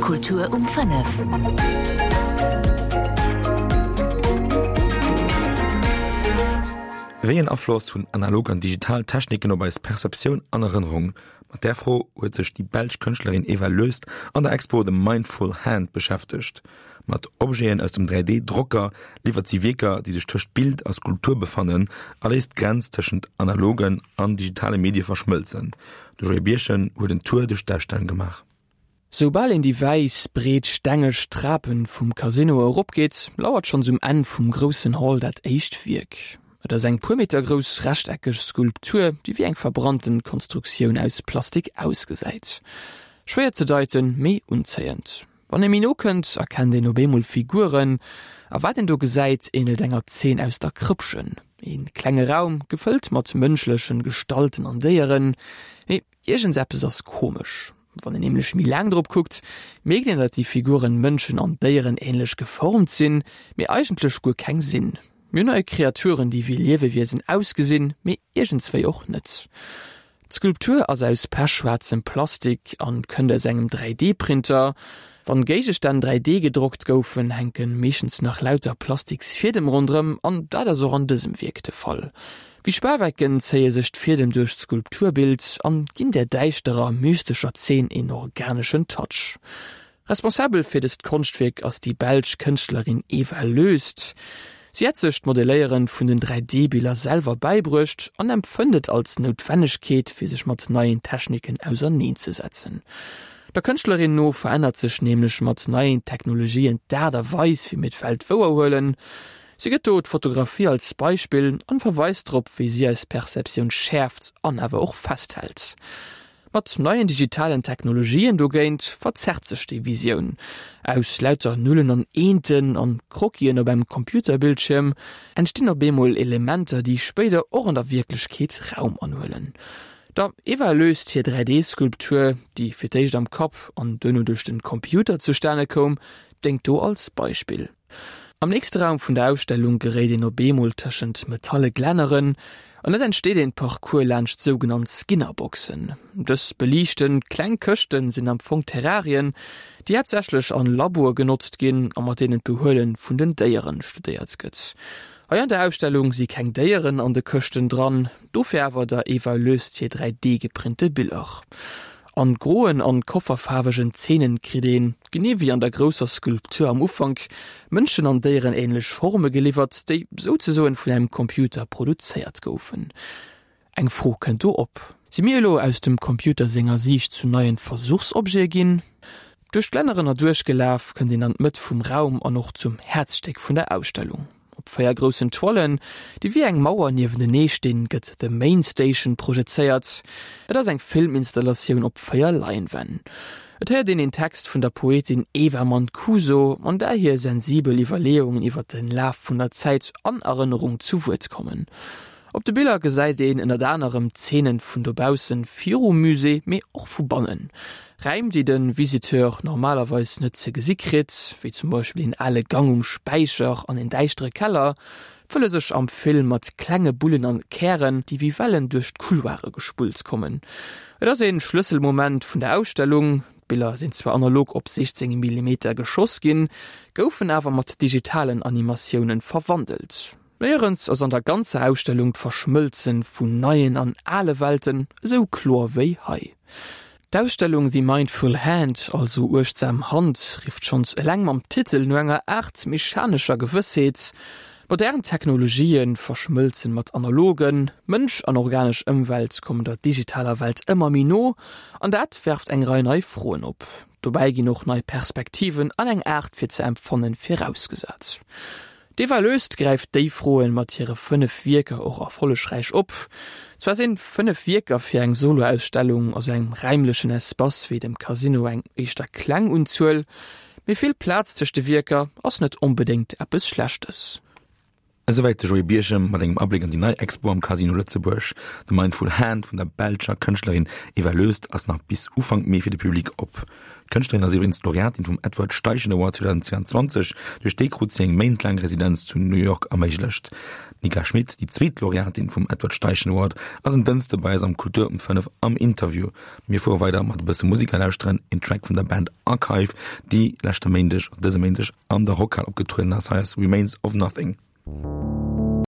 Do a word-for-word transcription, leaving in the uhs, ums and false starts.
Kultur um fënnef. Wéi en Afloss hunn analog an digital Techniken op eis Perceptioun an Erënnerung? Mat där Fro huet sech déi belsch Kënschtlerin Eva Leust an der Expo The Mindful Hand beschäftegt. Mat Objeten aus dem dräi D Drocker liwwert si Wierker, déi sech tëscht Bild a Skulptur befannen a léisst d'Grenz tëschent analogen an digitale Medie verschmëlzen. De Joé Birchen huet en Tour duerch d'Ausstellung gemaach. Soubal een déi wäiss, breet stengeg Trapen vum Casino eropgeet, lauert schonns um Enn vum groussen Hall dat éischt Wierk. Et ass eng puer Meter grouss rechteckeg Skulptur, déi wéi eng verbrannten Konstruktioun aus Plastik ausgesäit. Schwéier ze deiten, mee unzéiend. Wann ee méi no kënnt, erkennt een op eemol Figuren, a wat een do gesäit, änelt enger Zeen aus der Krëppchen. Een klenge Raum, gefëllt mat mënschlechen Gestalten an Déieren. Mee iergendseppes ass komesch. Wann een nämlech méi laang drop kuckt, mierkt een, datt déi Figuren Mënschen an Déieren änlech geformt sinn, mee eigentlech guer keng sinn. Mir hunn hei Kreaturen, déi wéi Liewewiesen ausgesinn, mee iergendswéi och net. D'Skulptur ass aus pechschwaarzem Plastik an kënnt aus engem dräi D Printer. Wann Géigestänn dräi D gedrockt goufen, hänken meeschtens nach lauter Plastiksfiedem ronderëm an dat ass och an dësem Wierk de Fall. Wéi Spawecken zéie sech d'Fiedem duerch d'Skulpturbild an ginn der däischterer, mystescher Zeen een organeschen Touch. Responsabel fir dëst Konschtwierk ass déi belsch Kënschtlerin Eva Leust. Si hätt sech d'Modelléiere vun den dräi D-Biller selwer bäibruecht an empfënnt et als Noutwennegkeet, fir sech mat neien Techniken auserneenzesetzen. Der Kënschtlerin no verännert sech nämlech mat neien Technologien d'Aart a Weis, wéi mir d'Welt wouerhuelen. Si gëtt do d'Fotografie als Beispill an verweist drop, wéi si eis Perceptioun schäerft an awer och festhält. Mat neien digitalen Technologien dogéint verzerrt sech déi Visioun. Aus lauter Nullen an Eenten an Croquisen op engem Computerbildschierm entstinn op eemol Elementer, déi spéider och an der Wierklechkeet Raum anhuelen. Der Eva Leust hir dräi D Skulptur, déi fir d'éischt am Kapp an duerno duerch den Computer zustane koum, déngt do als Beispill. Am nächste Raum vun der Ausstellung geréit een op eemol tëschent metalle Glänneren an et entsteet een Parcours laanscht sougenannt Skinnerboxen. Dës beliichten kleng Këschten sinn am Fong Terrarien, déi haaptsächlech an Laboe genotzt ginn a mat deenen d'Behuelen vun den Déieren studéiert gëtt. Hei an der Ausstellung si keng Déieren an de Këschten dran, dofir awer der Eva Leust hir dräi D geprinte Biller. An groen an kofferfaarwegen Zeenen kritt een, genee wéi an der grousser Skulptur am Ufank, Mënschen an déierenähnlech Forme geliwwert, déi souzesoen vun engem Computer produzéiert goufen. Eng Fro kënnt do op, Si mir elo aus dem Computer senger Siicht zu neien Versuchsobjete ginn? Duerch d'Glänneren erduerch gelaf, kënnt een an d'Mëtt vum Raum an och zum Häerzstéck vun der Ausstellung. Op véier groussen Toilen, déi wéi eng Mauer niewentenee stinn, gëtt The Main Station projezéiert. Et ass eng Filminstallatioun op véier Leinwänn. Et héiert een een Text vun der Poetin Eva Mancuso an där hir sensibel Iwwerleeungen iwwer den Laf vun der Zäit an Erënnerung zu Wuert kommen. Op de Biller gesäit een ënnert anerem Zeenen vun dobaussen virum Musée, mee och vu bannen. Räim, déi de Visiteur normalerweis net ze gesi kritt, wéi zum Beispill een ale Gang um Späicher an een däischtere Keller, fëlle sech am Film mat klenge Bullen an Kären, déi wéi Wellen duerch d'Couloire gespullt kommen. Et ass een Schlësselmoment vun der Ausstellung. D'Biller sinn zwar analog op sichzéng Millimeter geschoss ginn, goufen awer mat digitalen Animatiounen verwandelt. Néierens ass an der ganzer Ausstellung d'Verschmëlzen vun neien an ale Welten esou kloer wéi hei. D'Ausstellung The Mindful Hand, also Uechtsam Hand, rifft schonns eleng mam Titel no enger Aart mechanescher Gewëssheet. Modern Technologië verschmëlzen mat analogen, Mënsch an organesch Ëmwelt kommen der digitaler Welt ëmmer méi no an dat werft eng Rei nei Froen op. Dobäi ginn och nei Perspektiven an eng Aart fir ze empfannen virausgesat. D'Eva Leust gräift déi Froen mat hire fënnef Wierker och erfollegräich op. Zwar sinn fënnef Wierker fir eng Soloausstellung a sou engem räimlechen Espace wéi dem Casino eng éischter kleng Unzuel, mee vill Plaz tëscht de Wierker ass net onbedéngt eppes Schlechtes. Esouwäit de Joé Birchem mat engem Abléck an déi nei Expo am Casino Lëtzebuerg. The Mindful Hand vun der belscher Kënschtlerin Eva Leust ass nach bis Ufank Mee fir de Public op. D'Kënschtlerin ass iwwregens d'Laureatin vum Edward Steichen Award zweedausendzweianzwanzeg. Duerch dee krut si eng méintlaang Residenz zu New York erméiglecht. D'Nika Schmit, déi zweet Laureatin vum Edward Steichen Award, ass en Dënschde bei eis am Kultur um fënnef am Interview. Mir fuere weider mat e bësse Musek a lauschteren een Track vun der Band Archive, déi leschte Méindeg, dëse Méindeg an der Rockhal opgetrueden ass. Hei ass Remains of Nothing.